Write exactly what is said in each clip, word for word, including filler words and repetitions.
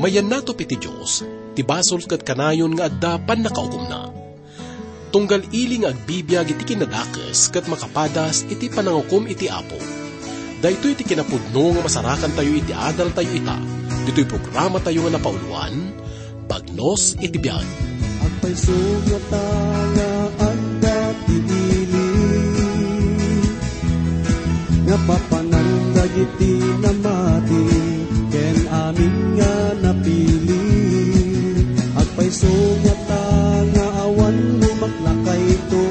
Mayannato iti Dios ti basol ket kanayon nga adda pannakaukomna. Tunggal ili nga agbibiag iti kinadakes ket makapadas iti panangukom iti Apo. Daytoy ti kinapudno nga masarakantayo iti adaltayo ita, ditoy programatayo nga napauloan, Bagnos iti Biag. Agpayso ngata nga adda ti ili nga papanan dagiti namati ken amin nga napili. Agpayso ngata nga awan lumaklakayto,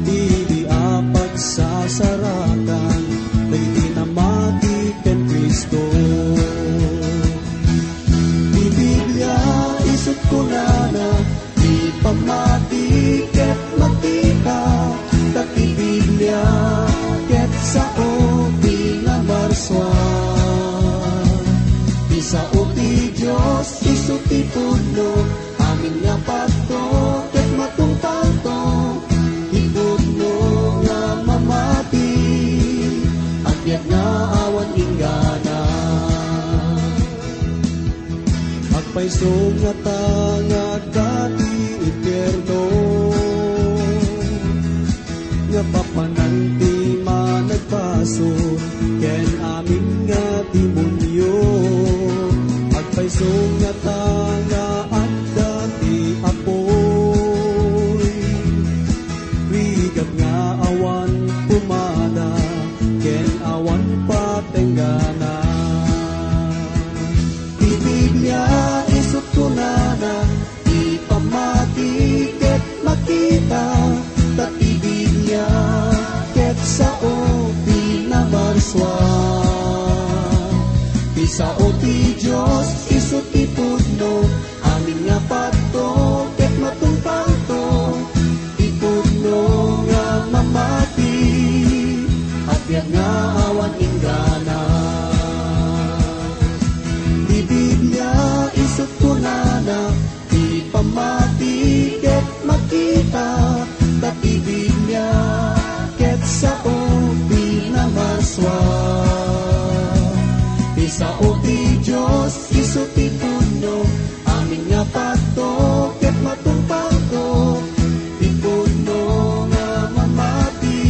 ili a pagsasarakan dagiti namati ken Cristo. Ti Biblia isut' kunana, ti pammati ket makita, ta ti Biblia ket sao ti namarsua. Ti sao ti Dios isu ti pudno, amin nga padto ket matungpalto. Ti pudno nga mamati, agbiag nga awan inggana. Agpayso ngata nga adda ti impierno, nga papanan ti managbasol ken amin nga demonio. Agpayso ngata nga adda ti apoy, rigat nga awan pumada ken awan patenggana. Ti Biblia isut' kunana, ti pammati ket makita, ta ti Biblia ket sao ti namarsua. Ti sao ti Dios isu ti pudno, amin nga padto ket matungpalto. Ti pudno nga mamati, agbiag nga awan inggana. Ti Biblia isut' kunana, ti pammati ket makita, ta ti Biblia ket sao ti namarsua. Ti sao ti Dios isu ti pudno, amin nga padto ket matungpalto. Ti pudno nga mamati,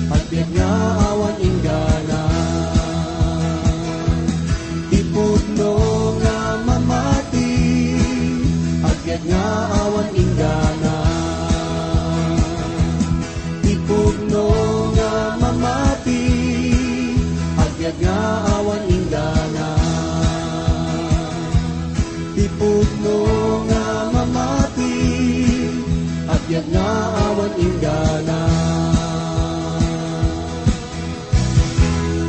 agbiag nga awan inggana. Ti pudno nga mamati, agbiag nga awan inggana. Ti pudno nga mamati, agbiag nga awan inggana. Ti pudno nga mamati, agbiag nga awan inggana.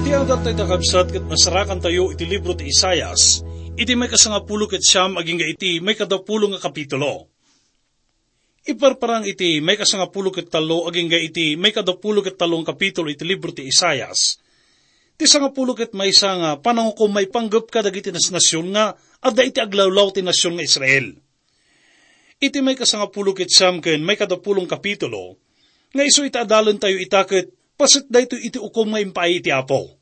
Ti adaltayo, kakabsat, ket masarakantayo iti libro ti Isaias, iti maikasangapulo ket siam agingga iti maikadapulo nga kapitulo. Iparparang iti maikasangapulo ket tallo agingga iti maikadapulo ket tallo nga kapitulo iti libro ti Isaias, ti sangapulo ket maysa nga panangukom maipanggep kadagiti nasnasion nga adda iti aglawlaw ti nasion nga Israel. Iti maikasangapulo ket siam ken maikadapulo nga kapitulo, nga isu iti adalentayo ita ket paset daytoy iti ukom nga impaay iti Apo.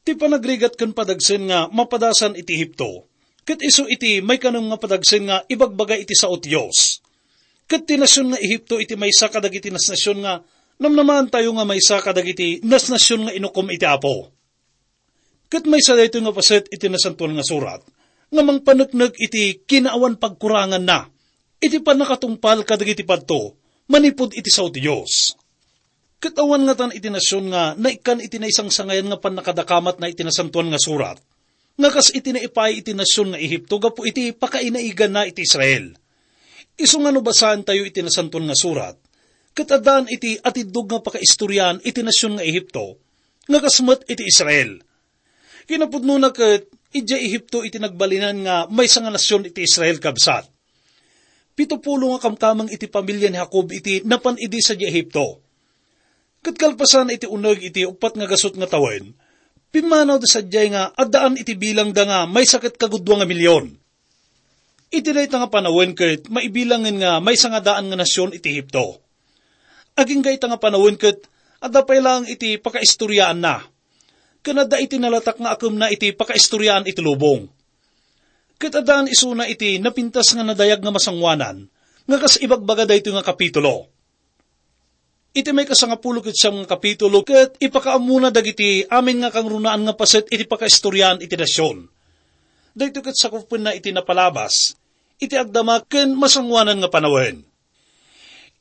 Ti panagrigat ken padagsen nga mapadasan iti Egipto, ket isu iti maikanem nga padagsen nga ibagbaga iti sao ti Dios. Ket ti nasion nga Egipto iti maysa kadagiti nasnasion nga namnamaantayo nga maysa kadagiti nasnasion nga inukom iti Apo. Ket maysa daytoy nga paset iti Nasantoan nga Surat nga mangpaneknek iti kinaawan pagkuranganna iti pannakatungpal kadagiti padto manipud iti sao ti Dios. Ket awan ngatan iti nasion nga naikkan iti naisangsangayan nga pannakadakamatna iti Nasantoan nga Surat, nga kas iti naipaay iti nasion nga Egipto gapu iti pakainaiganna iti Israel. Isu nga no basaentayo iti Nasantoan nga Surat, ket addaan iti atiddog nga pakaistoriaan iti nasion nga Egipto, nga kas met iti Israel. Kinapudnona ket idiay Egipto iti nagbalinan nga maysa nga nasion iti Israel, kabsat. Pito pulo nga kamkameng iti pamilia ni Jacob iti napan idi sadiay Egipto. Ket kalpasan iti uneg iti uppat nga gasut nga tawen, pimmanawda sadiay nga addaan iti bilangda nga maysa ket kagudua nga milion. Iti dayta nga panawen ket maibilangen nga maysa nga daan nga nasion iti Egipto. Agingga ita nga panawen ket adda pay laeng iti pakaistoriaanna. ken adda iti nalatak nga akemna iti pakaistoriaan iti lubong. Ket addaan isuna iti napintas nga nadayag nga masangoanan nga kas ibagbaga daytoy nga kapitulo. Iti maikasangapulo ket siam nga kapitulo ket ipakaammona dagiti amin nga kangrunaan nga paset iti pakaistoriaan iti nasion. Daytoy ket sakupenna iti napalabas, iti agdama ken masangoanan nga panawen.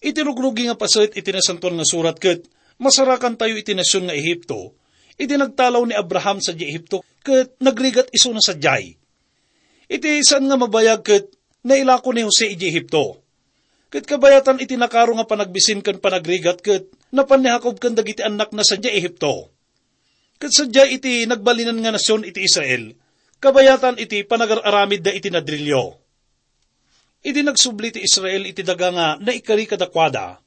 Iti rugrugi nga paset iti Nasantoan nga Surat ket masarakantayo iti nasion nga Egipto, iti nagtalaw ni Abraham sadiay Egipto ket nagrigat isuna sadiay. Iti saan nga mabayag ket nailako ni Jose idiay Egipto. Ket kabayatan iti nakaro nga panagbisin ken panagrigat ket napan ni Jacob ken dagiti annakna sadiay Egipto. Ket sadiay iti nagbalinan nga nasion iti Israel, kabayatan iti panagar-aramidda iti nadrilio. Idi nagsubli ti Israel iti daga nga naikari kadakuada,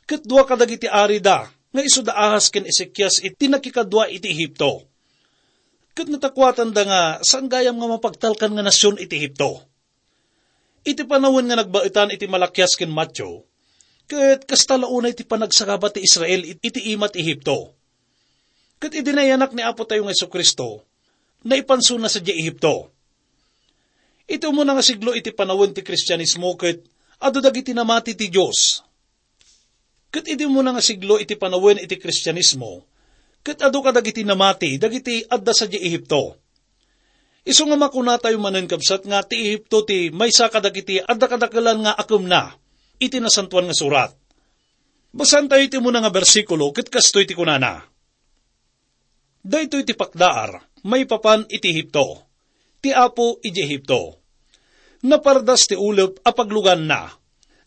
ket dua kadagiti arida nga isu da Ahaz ken Ezekias iti nakikadua iti Egipto. Ket natakuatanda nga saan gayam nga mapagtalkan nga nasion iti Egipto. Iti panawen nga nagbaetan iti Malakias ken Mateo, ket kasta la unay ti panagsagaba ti Israel it-, iti ima ti Egipto. Ket idi nayanak ni Apo tayo nga Jesu-Cristo, naipansona sadiay Egipto. Iti umuna nga siglo iti panawen ti Kristianismo ket adu dagiti namati ti Dios. Ket idi umuna nga siglo iti panawen iti Kristianismo, ket adu kadagiti namati dagiti adda sadiay Egipto. Isu nga makunatayo manen, kabsat, nga ti Egipto ti maysa kadagiti adda kadakelan nga akemna iti Nasantoan nga Surat. Basaentayo iti umuna nga bersikulo ket kastoy ti kunana, "Daytoy ti pakdaar maipapan iti Egipto, ti Apo idiay Egipto. Napardas ti ulep a pagluganna.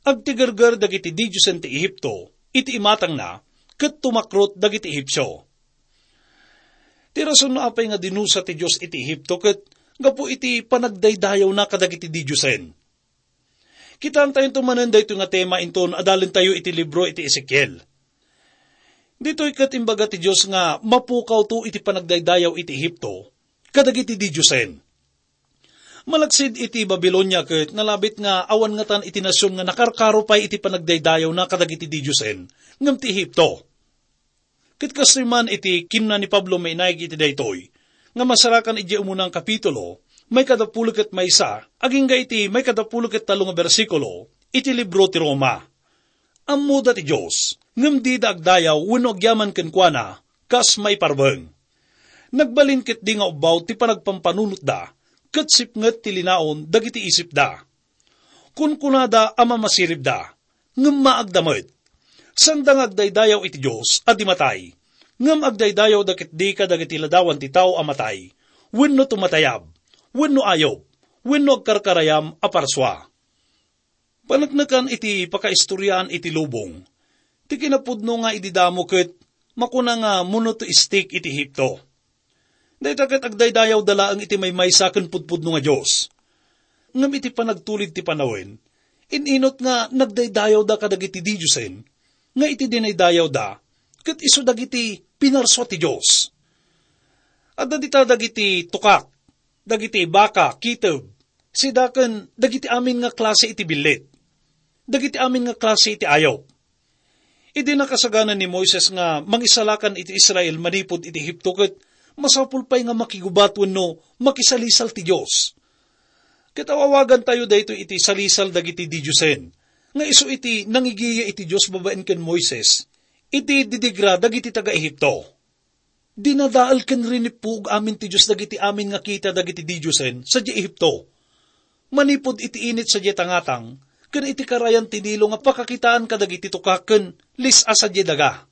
Agtigerger dagiti didiosen ti Egipto iti imatangna ket tumakrot dagiti Egipsio." Ti rason no apay nga dinusa ti Dios iti Egipto ket gapu iti panagdaydayawna kadagiti didiosen. Kitaentayo manen daytoy nga tema inton adalentayo iti libro iti Ezekiel. Ditoy ket imbaga ti Dios nga mapukawto iti panagdaydayaw iti Egipto kadagiti didiosen. Malaksid iti Babilonia ket nalabit nga awan ngatan iti nasion nga nakarkaro pay iti panagdaydayawna kadagiti didiosen ngem ti Egipto. Ket kastoy man iti kinuna ni Pablo mainaig iti daytoy, nga masarakan idiay umuna nga kapitulo, maikadapulo ket maysa, agingga iti maikadapulo ket tallo nga bersikulo, iti libro ti Roma. Ammoda ti Dios, ngem dida agdayaw wenno agyaman kenkuana, kas maiparbeng. Nagbalin ketdi nga ubbaw ti panagpampanunotda, ket sipnget ti linaon dagiti isipda. Kunkunada a mamasiribda, ngem maagda met. Saanda nga agdaydayaw iti Dios a di matay, ngem agdaydayawda ketdi kadagiti ladawan ti tao a matay, wenno tumatayab, wenno ayup, wenno agkarkarayam a parsua. Paneknekan iti pakaistoriaan iti lubong, ti kinapudno nga idi damo ket makuna nga monotheistic iti Egipto. Dayta ket agdaydayawda laeng iti maymaysa ken pudpudno nga Dios. Ngem iti panagtulid ti panawen, in-inut nga nagdaydayawda kadagiti didiosen, nga iti dinaydayawda, ket isu dagiti pinarsua ti Dios. Adda dita dagiti tukak, dagiti baka, kiteb, sida ken dagiti amin nga klase iti billit, dagiti amin nga klase iti ayup. Idi nakasagana ni Moises nga mangisalakan iti Israel manipud iti Egipto, ket masapul pay nga makigubat wenno makisalisal ti Dios. Ket aw-awagantayo daytoy iti salisal dagiti didiosen, nga isu iti nangigiya iti Dios babaen ken Moises, iti didigra dagiti taga-Egipto. Dinadael ken rinippuog amin ti Dios dagiti amin nga kita dagiti didiosen sadiay Egipto. Manipud iti init sadiay tangatang, ken iti karayan ti Nilo nga pakakitaan kadagiti tukak ken lis-a sadiay daga.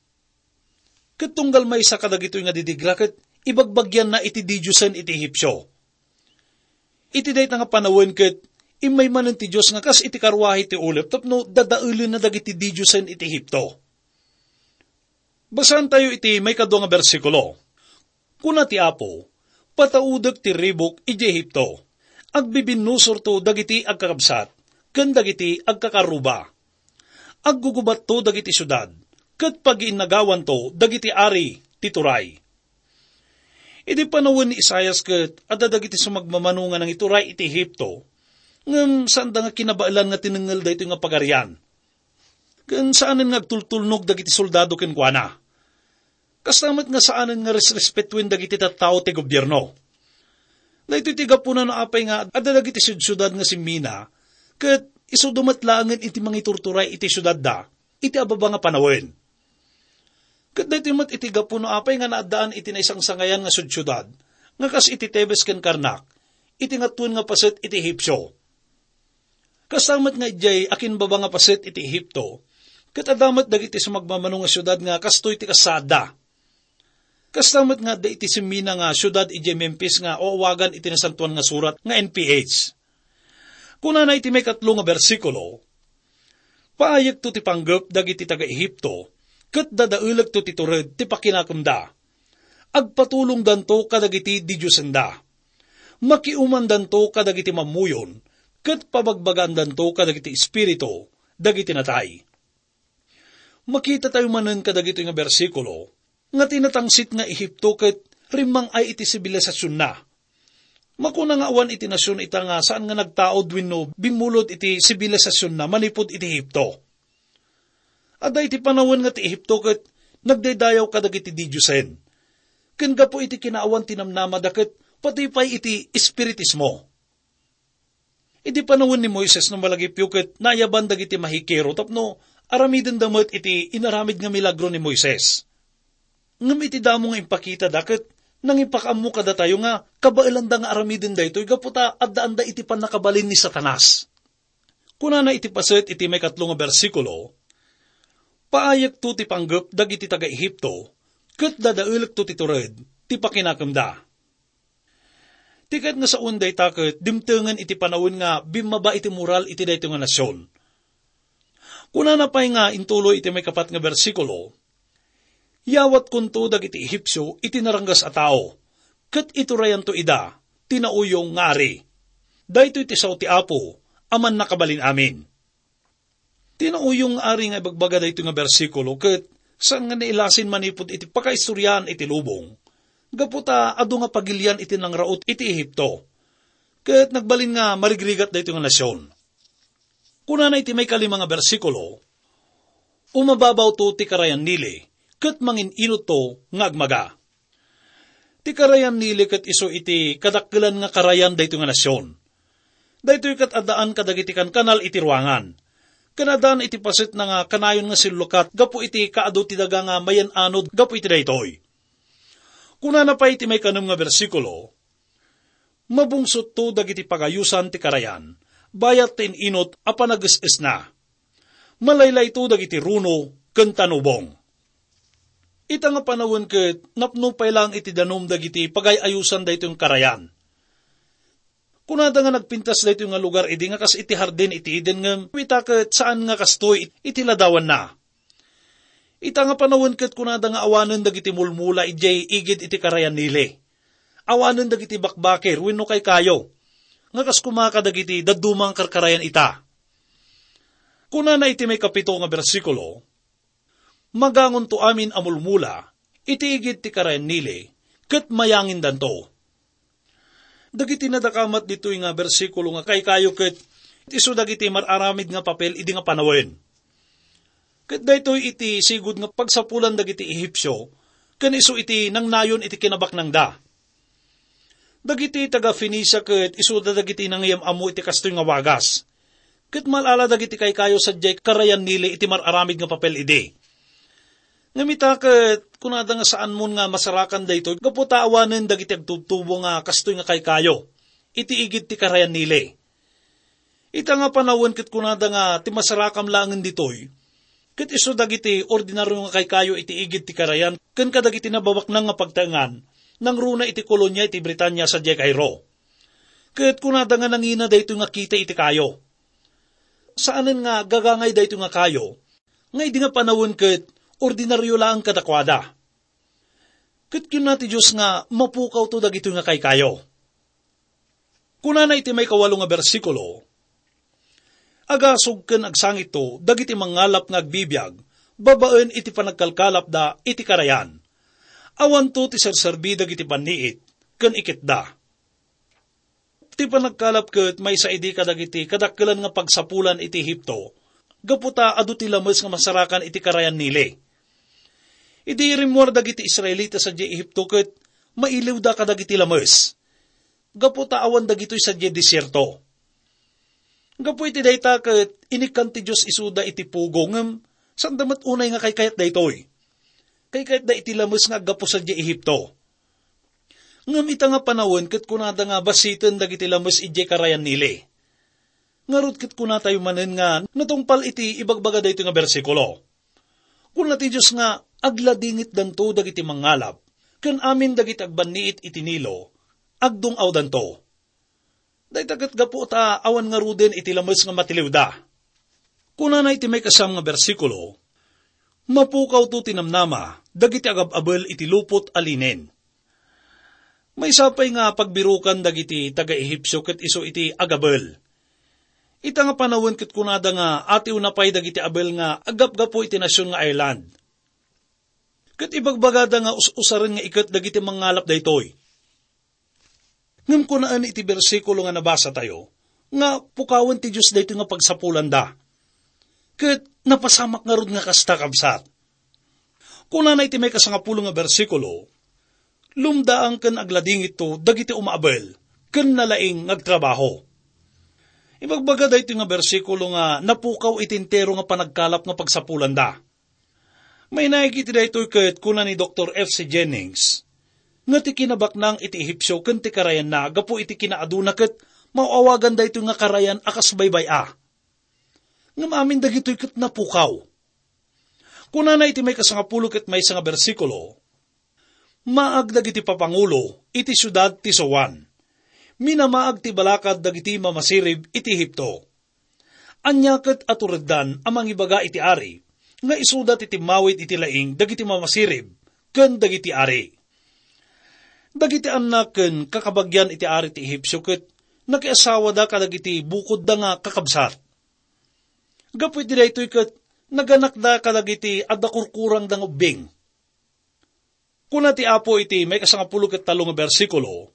Ket tunggal maysa kadagitoy nga didigra ket ibagbagianna iti didiosen iti Egipsio. Iti dayta nga panawen ket immay manen ti Dios nga kas iti karruahe ti ulep tapno dadaelenna dagiti didiosen iti Egipto. Basaentayo iti maikadua nga bersikulo. Kuna ti Apo, "Pataudek ti ribuk idiay Egipto. Agbibinnusorto dagiti agkakabsat ken dagiti agkakarruba. Aggugubatto dagiti siudad, ket pagiinnagawanto dagiti ari ti turay." Idi panawen ni Isaias ket adda dagiti sumagmamano nga nangituray iti Egipto, ngem saanda nga kinabaelan nga tinengngel daytoy nga pagarian. Ken saanen nga agtultulnog dagiti soldado kenkuana. Kasta met nga saanen nga resrespetuen dagiti tattao ti gobierno. Daytoy ti gapuna no apay nga adda dagiti siudsiudad nga simmina, ket isuda met laengen iti mangiturturay iti siudadda iti ababa nga panawen. Ket daytoy met iti gapu no apay nga naaddaan iti naisangsangayan nga siudsiudad nga kas iti Tebes ken Karnak, iti ngatuen nga paset iti Ehipsio. Kasta met nga idiay akinbaba nga paset iti Ehipto, ket adda met dagiti sumagmamano nga siudad nga kastoy ti kasaadda. Kasta met nga adda iti simmina nga siudad idiay Memphis nga awagan iti Nasantoan nga Surat nga N P H. Kunana iti maikatlo nga bersikulo, "Paayekto ti panggep dagiti taga-Ehipto, ket dadaelekto ti tured ti pakinakemda. Agpatulongdanto kadagiti didiosenda. Makiumandanto kadagiti mammuyon, ket pabagbagaandanto kadagiti espiritu dagiti natay." Makitatayo manen kadagitoy nga bersikulo nga ti natangsit nga Ehipto ket rimmang-ay iti sibilisasionna. Makuna nga awan iti nasion ita nga saan nga nagtaud wenno bimmulod iti sibilisasionna manipud iti Ehipto. Adda iti panawen nga ti Ehipto ket nagdaydayaw kadagiti didiosen. Ken gapu iti kinaawan ti namnamada ket patay pay iti espiritismo. Idi panawen ni Moises no malagipyo ket naayaban dagiti mahikero tapno aramidenda met iti inaramid nga milagro ni Moises. Ngem iti damo nga impakitada ket nangipakaammo kadatayo nga kabaelanda nga aramiden daytoy gapu ta addaanda iti pannakabalin ni Satanas. Kunana iti paset iti maikatlo nga bersikulo, "Paayekto ti panggep dagiti taga-Ehipto, ket dadaelekto ti tured ti pakinakemda." Ti kayat nga sawen dayta ket dimtengen iti panawen nga bimmaba iti moral iti daytoy nga nasion. Kunana pay nga intuloy iti maikapat nga bersikulo, "Yawatkonto dagiti Ehipsio iti naranggas a tao, ket iturayanto ida ti nauyong nga ari. Daytoy ti sao ti Apo a Mannakabalin-amin." Ti nauyong nga ari nga ibagbaga daytoy nga bersikulo ket saan nga nailasin manipud iti pakaistoriaan iti lubong, gapu ta adu nga pagilian iti nangraut iti Ehipto, ket nagbalin nga marigrigat daytoy nga nasion. Kunana iti maikalima nga bersikulo, "Umababawto ti karayan Nile, ket mangin-inutto nga agmaga." Ti karayan Nile ket isu iti kadakkelan nga karayan daytoy nga nasion. Daytoy ket addaan kadagiti kankanal iti ruangan. Ken addaan iti pasetna nga kanayon nga sillukat gapu iti kaadu ti daga nga mayan-anod gapu iti daytoy. Kunana pay iti maikanem nga bersikulo, "Mabungsotto dagiti pagayosan ti karayan, bayat ti in-inut a panages-esna. Malaylayto dagiti runo ken tanubong." Ita nga panawen ket napno pay laeng iti danum dagiti pagay-ayosan daytoy nga karayan. Kunada nga nagpintas daytoy nga lugar idi nga kas iti hardin iti Eden ngem ita ket saan nga kastoy iti ladawanna. Ita nga panawen ket kunada nga awanen dagiti mulmula idiay igid iti karayan Nile. Awanen dagiti bakbakir wenno kaykayo, nga kas koma kadagiti dadduma nga karkarayan ita. Kunana iti maikapito nga bersikulo, "Magangonto amin a mulmula iti igid ti karayan Nile, ket mayangindanto." Dagiti nadakamat ditoy nga bersikulo nga kaykayo ket isu dagiti mar-aramid nga papel idi nga panawen. Ket daytoy iti sigud nga pagsapulan dagiti Ehipsio, ken isu iti nangnayon iti kinabaknangda. Dagiti taga-Fenicia ket isuda dagiti nangiyam-ammo iti kastoy nga wagas. Ket mal-ala dagiti kaykayo sadiay karayan Nile iti mar-aramid nga papel idi. Ngem ita ket kunada nga saanmon nga masarakan daytoy gapu ta awanen dagiti agtubtubo nga kastoy nga kaykayo iti igid ti karayan Nile. Ita nga panawen ket kunada nga ti masarakam laengen ditoy, ket isu dagiti ordinario nga kaykayo iti igid ti karayan ken kadagiti nababaknang nga pagtaengan, nangruna iti kolonia iti Britania sadiay Cairo. Ket kunada nga nangina daytoy nga kita iti kayo. Saanen nga gagangay daytoy nga kayo, nga idi nga panawen ket ordinario laeng kadakuada. Ket kinuna ti Dios nga mapukawto dagitoy nga kaykayo. Kunana iti maikawalo nga bersikulo, "Agasog ken agsangitto dagiti mangngalap nga agbibiag babaen iti panagkalkalapda iti karayan. Awanto ti serserbi dagiti banniit ken iketda." Ti panagkalap ket maysa idi kadagiti kadakkelan nga pagsapulan iti Egipto, gapu ta adu ti lames nga masarakan iti karayan Nile. Idi rimmuar dagiti Israelita sadiay Egipto ket mailiwda kadagiti lames, gapu ta awan dagitoy sadiay desierto. Gapu iti dayta ket inikkan ti Dios isuda iti pugo, ngem sanda met unay nga kaykayat daytoy. Kaykayatda iti lames nga aggapu sadiay Egipto. Ngem ita nga panawen ket kunada nga basiten dagiti lames idiay karayan Nile. Ngarud ket kunatayo manen nga natungpal iti ibagbaga daytoy nga bersikulo. Kuna ti Dios nga agladingitdanto dagiti mangngalap, ken amin dagiti agbanniit iti Nilo, agdung-awdanto. Dayta ket gapu ta awan ngaruden iti lames nga matiliwda. Kunana iti maikasam nga bersikulo, "Mapukawto ti namnama dagiti agab-abel iti lupot a linen." Maysa pay nga pagbirukan dagiti taga-Ehipsio ket isu iti agabel. Ita nga panawen ket kunada nga atiwna pay dagiti abel nga aggapgapu iti nasion nga Ireland. Ket ibagbagada nga us-usaren nga iket dagiti mangngalap daytoy. Ngem kunaen iti bersikulo nga nabasatayo nga pukawen ti Dios daytoy nga pagsapulanda. Ket napasamak ngarud nga kasta, kabsat. Kunana iti maikasangapulo nga bersikulo, "Lumdaan ken agladingitto dagiti umaabel ken nalaing nga agtrabaho." Ibagbaga daytoy nga bersikulo nga napukaw iti entero nga panagkalap nga pagsapulanda. Mainaig iti daytoy ket kuna ni Doktor F C Jennings nga ti kinabaknang iti Ehipsio ken ti karayanna gapu iti kinaaduna ket maaw-awagan daytoy nga karayan a kas baybay-a. Ngem amin dagitoy ket napukaw. Kunana iti maikasangapulo ket maysa nga bersikulo, "Maag dagiti papangulo iti siudad ti Soan. Minamaag ti balakad dagiti mamasirib iti Ehipto. Ania ket a tureddan a mangibaga iti ari nga isuda ti timmawid iti laing dagiti mamasirib ken dagiti ari?" Dagiti annak ken kakabagian iti ari ti Ehipsio ket nakiasawada kadagiti bukodda nga kakabsat. Gapu iti daytoy ket naganakda kadagiti adda kurkurangda nga ubbing. Kuna ti Apo iti maikasangapulo ket tallo nga bersikulo,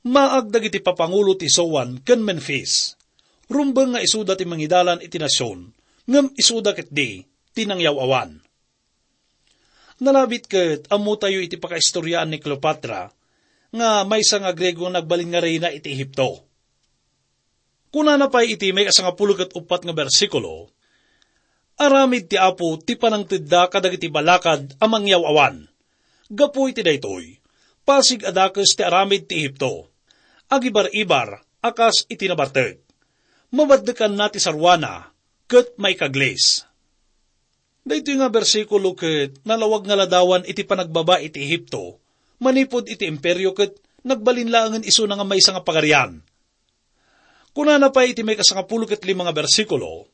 "Maag dagiti papangulo ti Soan ken Memphis. Rumbeng nga isuda ti mangidalan iti nasion, ngem isuda ketdi ti nangyaw-awan." Nalabit ket ammotayo iti pakaistoriaan ni Cleopatra nga maysa nga Griego nga nagbalin nga reyna iti Ehipto. Kunana pay iti maikasangapulo ket uppat nga bersikulo, "Aramid ti Apo ti panangtedda kadagiti balakad a mangyaw-awan. Gapu iti daytoy, pasig a dakes ti aramid ti Ehipto. Agibar-ibar a kas iti nabartek. Mabaddekanna ti saruana ket maikaglis." Daytoy nga bersikulo ket nalawag nga ladawan iti panagbaba iti Ehipto manipud iti imperio ket nagbalin laengen isuna nga maysa nga pagarian. Kunana pay iti maikasangapulo ket lima nga bersikulo,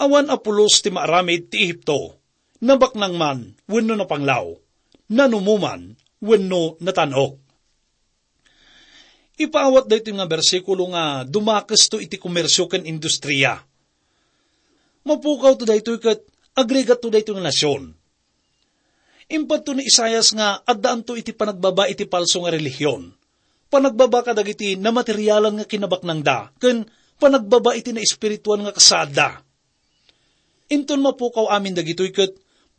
"Awan a pulos ti maaramid ti Ehipto, nabaknang man wenno napanglaw, nanumo man wenno natan-ok." Ipaawat daytoy nga bersikulo nga dumakesto iti komersio ken industria. Mapukawto daytoy ket agrigatto daytoy nga nasion. Impadto ni Isaias nga addaanto iti panagbaba iti palso nga relihion, panagbaba kadagiti namaterialan nga kinabaknangda, ken panagbaba iti naespirituan nga kasaadda. Inton mapukaw amin dagitoy ket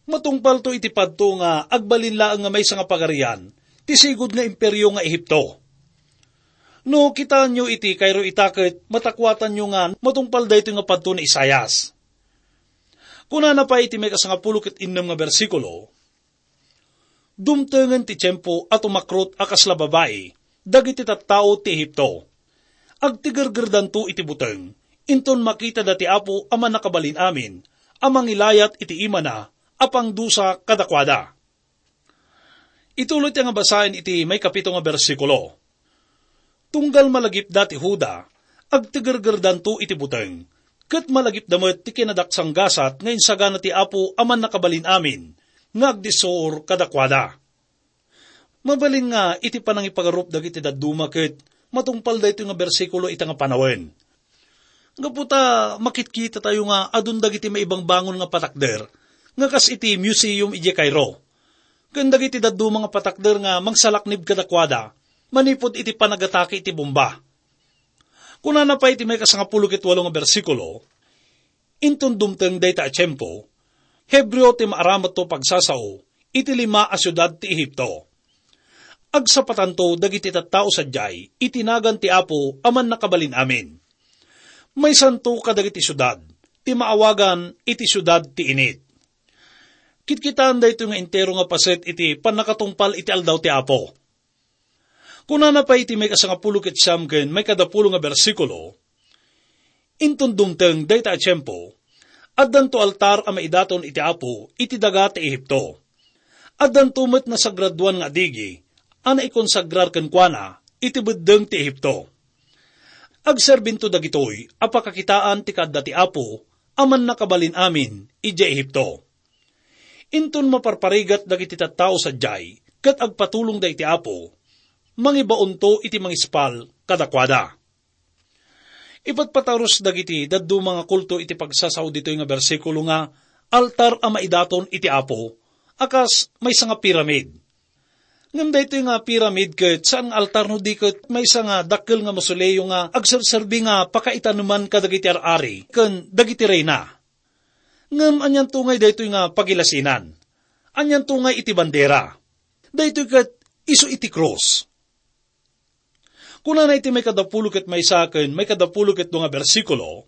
matungpalto iti padto nga agbalin laeng nga maysa nga pagarian ti sigud nga imperio nga Ehipto. No kitaenyo iti kayro ita ket matakuatanyo nga matungpal daytoy nga padto ni Isaias. Kunana pay iti maikasangapulo ket innem nga bersikulo, "Dumtengen ti tiempo a tumakrot a kasla babai dagiti tattao ti Ehipto. Agtigergerdanto iti buteng, inton makitada ti Apo a Mannakabalin-amin a mangilayat iti imana a pangdusa kadakuada." Ituloy ti nga basaen iti maikapito nga bersikulo. "Tunggal malagipda ti Juda, agtigergerdanto iti buteng, ket malagipda met ti kinadaksanggasat nga insagana ti Apo a Mannakabalin-amin nga agdissuor kadakuada." Mabalin nga iti panangipagarup dagiti dadduma ket matungpal daytoy nga bersikulo ita nga panawen. Gapu ta makitkitatayo nga adun dagiti maibangbangon nga patakder nga kas iti museum idiay Cairo, ken dagiti dadduma nga patakder nga mangsalaknib kadakuada manipud iti panagatake iti bomba. Kunana pay iti maikasangapulo ket walo nga bersikulo, "Inton dumteng dayta a tiempo, Hebreo ti maaramatto pagsasao iti lima a siudad ti Ehipto. Agsapatanto dagiti tattao sadiay iti nagan ti Apo a Mannakabalin-amin. Maysanto kadagiti siudad ti maawagan iti siudad ti init. Kitkitaan daytoy nga entero nga paset iti pannakatungpal iti aldaw ti Apo. Kunana pay iti maikasangapulo ket siam ken maikadapulo nga bersikulo, "Inton dumteng dayta a tiempo, addanto altar a maidaton iti Apo iti daga ti Ehipto. Addanto met nasagradoan nga adigi a naikonsagrar kenkuana iti beddeng ti Ehipto. Agserbinto dagitoy a pakakitaan ti kaadda ti Apo a Mannakabalin-amin idiay Ehipto. Inton maparparigat dagiti tattao sadiay ket agpatulongda iti Apo, mangibaonto iti mangispal kadakuada." Ipatpatarus dagiti dadduma nga kulto iti pagsasao ditoy nga bersikulo nga altar a maidaton iti Apo, a kas maysa nga piramid. Ngem daytoy nga piramid ket saan nga altar no di ket maysa nga dakkel nga mausoleo nga agserserbi nga pakaitaneman kadagiti ar-ari ken dagiti reyna. Ngem anianto ngay daytoy nga pagilasinan? Anianto ngay iti bandera? Daytoy ket isu iti krus. Kunana iti maikadapulo ket maysa ken maikadapulo ket dua nga bersikulo,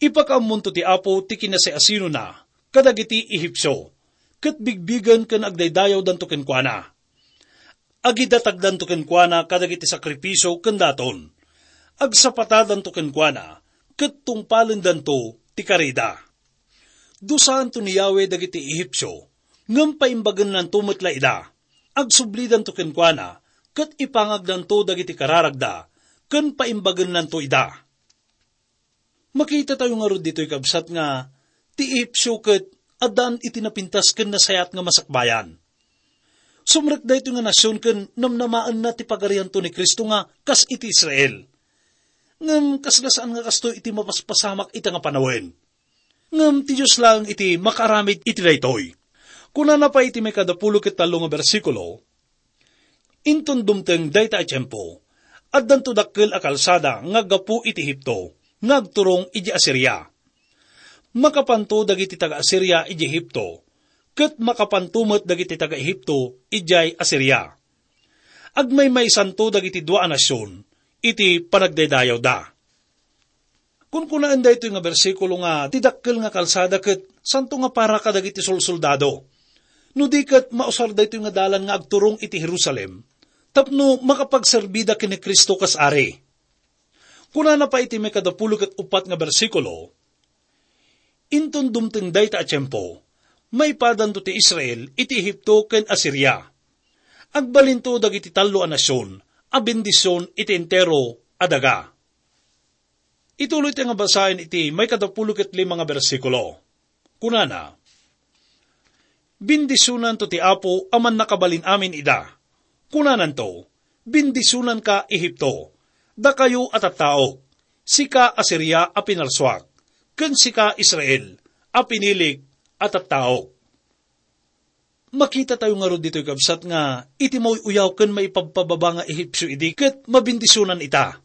"Ipakaammonto ti Apo ti kinasiasinona kadagiti Ehipsio, ket bigbigen ken agdaydayawdanto kenkuana. Agidatagdanto kenkuana kadagiti sakrifisio ken daton. Agsapatadanto kenkuana, ket tungpalendanto ti karida. Dusaanto ni Yahweh dagiti Ehipsio, ngem paimbagennanto met la ida. Agsublidanto kenkuana, ket ipangagdanto dagiti kararagda, ken paimbagennanto ida." Makitatayo ngarud ditoy, kabsat, nga ti Ehipsio ket addaan iti napintas ken nasayaat nga masakbayan. Sumrek daytoy nga nasion ken namnamaenna ti pagarianto ni Cristo nga kas iti Israel. Ngem kasla saan nga kastoy iti mapaspasamak ita nga panawen. Ngem ti Dios laeng iti makaaramid iti daytoy. Kunana pay iti maikadapulo ket tallo nga bersikulo, "Inton dumteng dayta a tiempo, addanto dakkel a kalsada nga aggapu iti Egipto nga agturong idiay Asiria. Makapanto dagiti taga-Asiria idiay Egipto, ket makapanto met dagiti taga-Egipto idiay Asiria. Agmaymaysanto dagiti dua a nasion iti panagdaydayawda." Kunkunaan daytoy nga bersikulo nga ti dakkel nga kalsada ket santo nga para kadagiti solsoldado. No di ket mausar daytoy nga dalan nga agturong iti Jerusalem tapno makapagserbida ken ni Cristo kas ari. Kunana pay iti maikadapulo ket uppat nga bersikulo, "Inton dumteng dayta a tiempo, maipadanto ti Israel iti Egipto ken Asiria. Agbalinto dagiti tallo a nasion a bendision iti entero a daga." Ituloy ti nga basaen iti maikadapulo ket lima nga bersikulo. Kunana, "Bendisionanto ti Apo a Mannakabalin-amin ida. Kunananto, 'Bendisionanka, Egipto, dakayo a tattaok, sika, Asiria a pinarsuak, ken sika, Israel, a pinilik a tattaok.'" Makitatayo ngarud ditoy, kabsat, nga iti mauy-uyaw ken maipabpababa nga Ehipsio idi ket mabendisionan ita.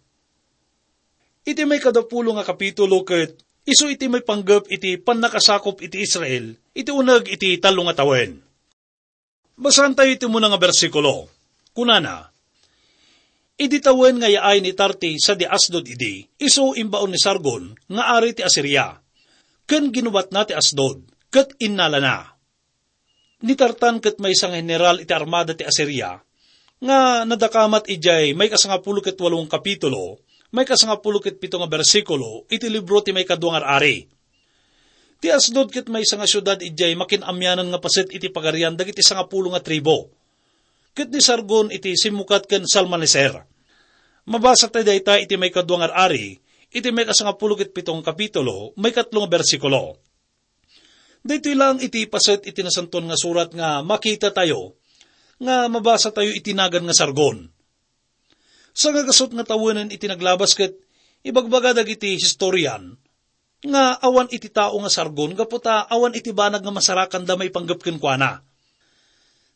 Iti maikadapulo nga kapitulo ket isu iti maipanggep iti pannakasakop iti Israel iti uneg iti tallo nga tawen. Basaentayo iti umuna nga bersikulo. Kunana, "Idi tawen nga yaay ni Tarti sadi Asdod idi, isu imbaon ni Sargon nga ari ti Asiria, ken ginubatna ti Asdod, ket innalana." Ni Tartan ket maysa nga heneral iti armada ti Asiria, nga nadakamat idiay maikasangapulo ket walo nga kapitulo, maikasangapulo ket pito nga bersikulo iti libro ti Maikadua nga Ar-ari. Ti Asdod ket maysa nga siudad idiay makin-amianan nga paset iti pagarian dagiti sangapulo nga tribu. Ket ni Sargon iti simmukat ken Salmaneser. Mabasa tayo dayta iti Maikadua nga Ar-ari, iti maikasangapulo ket pito nga kapitulo, maikatlo nga bersikulo. Daytoy laeng iti paset iti Nasantoan nga Surat nga makitatayo, nga mabasatayo iti nagan nga Sargon. Sangagasut nga tawenen iti naglabas ket ibagbaga dagiti historian nga awan iti tao nga Sargon gapu ta awan iti banag nga masarakanda maipanggep kenkuana.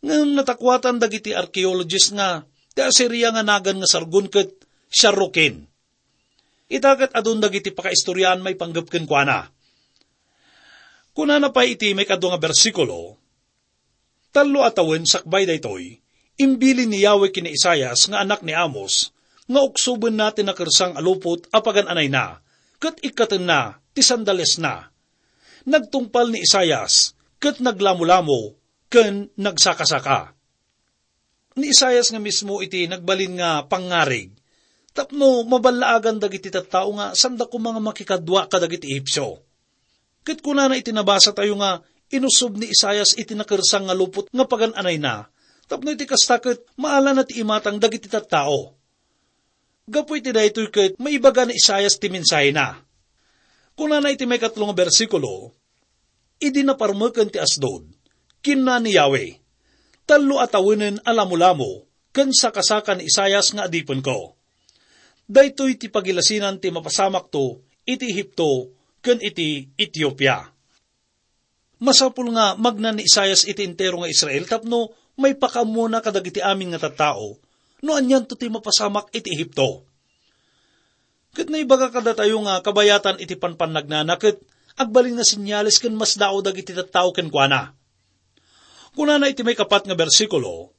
Ngem natakuatan dagiti archaeologist nga ti Asiria nga nagan nga Sargon ket Sharrukin. Ita ket adun dagiti pakaistoriaan maipanggep kenkuana. Kunana pay iti maikadua nga bersikulo, "Tallo a tawen sakbay daytoy, imbilin ni Yahweh ken ni Isaias nga anak ni Amoz nga uksobenna ti nakersang a lupot a pagan-anayna ket ikkatenna ti sandalesna. Nagtungpal ni Isaias ket naglamolamo ken nagsakasaka." Ni Isaias nga mismo iti nagbalin nga pangngarig tapno maballaagan dagiti tattao nga sanda koma nga makikadua kadagiti Ehipsio. Ket kunana iti nabasatayo nga inusub ni Isaias iti nakersang nga lupot nga pagan-anayna, tapno iti kasta ket maalana ti imatang dagiti tattao. Gapu iti daytoy ket maibaga ni Isaias ti mensahena. Kunana iti maikatlo nga bersikulo, "Idi naparmeken ti Asdod, kinuna ni Yahweh, 'Tallo a tawenen a lamolamo ken sakasaka ni Isaias nga adipenko. Daytoy ti pagilasinan ti mapasamakto iti Egipto ken iti Etiopia.'" Masapul nga magna ni Isaias iti entero nga Israel tapno maipakaammona kadagiti amin nga tattao no anianto ti mapasamak iti Egipto. Ket naibaga kadatayo nga kabayatan iti panpannagnana ket agbalin nga senyales ken masdaaw dagiti tattao kenkuana. Kunana iti maikapat nga bersikulo,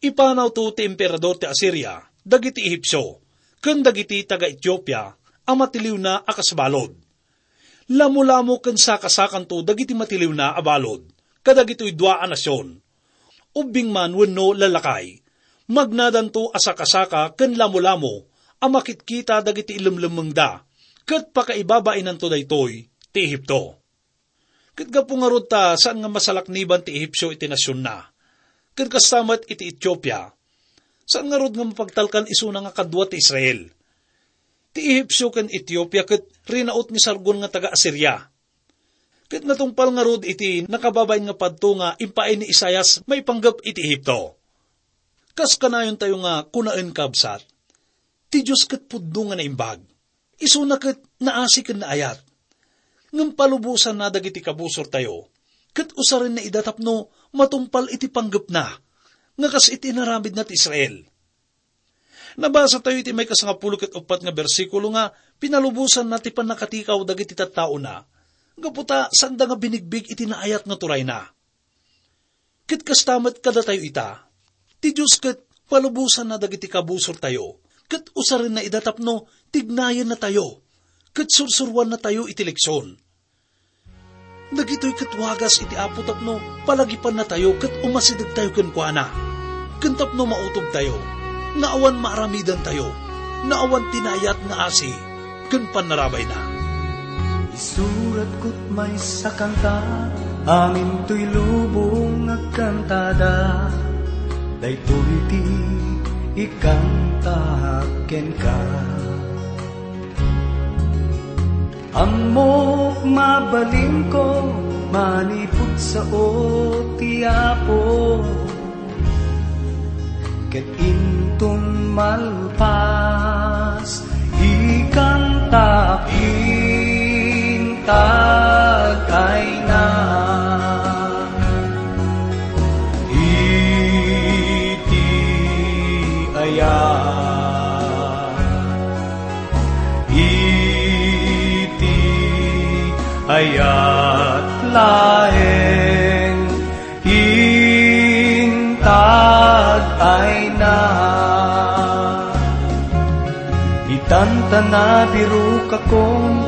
"Ipanawto ti emperador ti Asiria dagiti Ehipsio ken dagiti taga-Etiopia a matiliwna a kas balud. Lamolamo ken sakasakanto dagiti matiliwna a balud kadagitoy dua a nasion, ubbing man wenno lallakay. Magnadanto a sakasaka ken lamolamo a makitkita dagiti ilemlemmengda, ket pakaibabainanto daytoy ti Egipto." Ket gapu ngarud ta saan nga masalakniban ti Ehipsio iti nasionna, ket kasta met iti Etiopia, saan ngarud nga mapagtalkan isuna nga kadua ti Israel. Ti Ehipsio ken Etiopia ket rinaut ni Sargon nga taga-Asiria. Ket natungpal ngarud iti nakababain nga padto nga impaay ni Isaias maipanggep iti Egipto. Kas kanayontayo nga kunaen, kabsat, ti Dios ket pudno nga naimbag. Isuna ket naasi ken naayat. Ngem palubosanna dagiti kabusortayo, ket usarenna ida tapno matungpal iti panggepna nga kas iti inaramidna ti Israel. Nabasatayo iti maikasangapulo ket uppat nga bersikulo nga pinalubosanna ti pannakatikaw dagiti tattaona, gapu ta saanda nga binigbig iti naayat nga turayna. Ket kasta met kadatayo ita, ti Dios ket palubosanna dagiti kabusortayo, ket usarenna ida tapno tignayennatayo, ket sursuroannatayo iti leksion. Dagitoy ket wagas iti Apo tapno palagipannatayo ket umasidegtayo kenkuana, ken tapno mautobtayo nga awan maaramidantayo nga awan ti naayat nga asi ken pannarabayna. Isuratko ti maysa a kanta, amin toy lubong agkantada, daytoy ti ikantaak kenka. Ammok mabalinko manipud sao ti Apo, ket inton malpas, ikantaak intag ayna. Iti ayat, iti ayat laeng intag ayna. Itan ta nabirokakon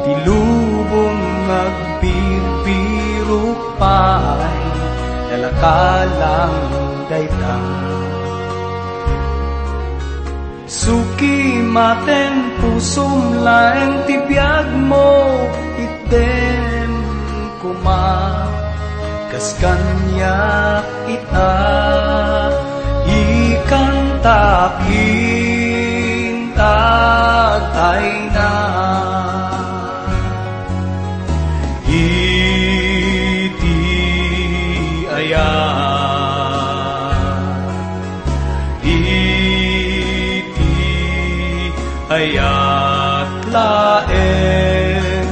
ti lubong nga agbirbirok pay, nalakalang dayta. Suki maten pusom laeng ti biagmo, itdem koma kas kaniak ita, ikantaak intag ayna. Iti ayat, iti ayat laeng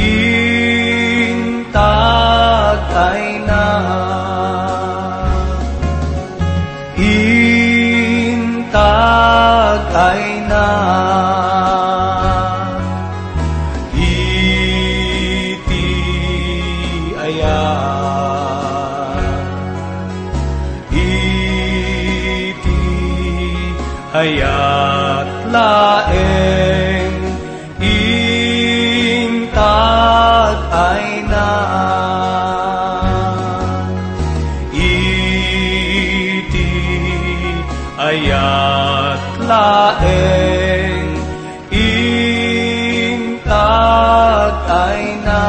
intag ayna. Intag ayna. Iti Ayat laeng intag ayna. Iti ayat laeng intag ayna.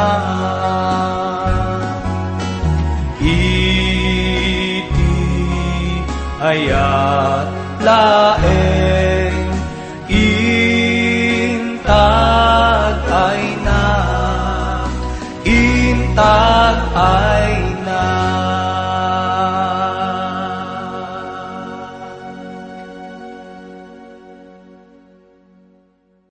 Iti ayat laeng intag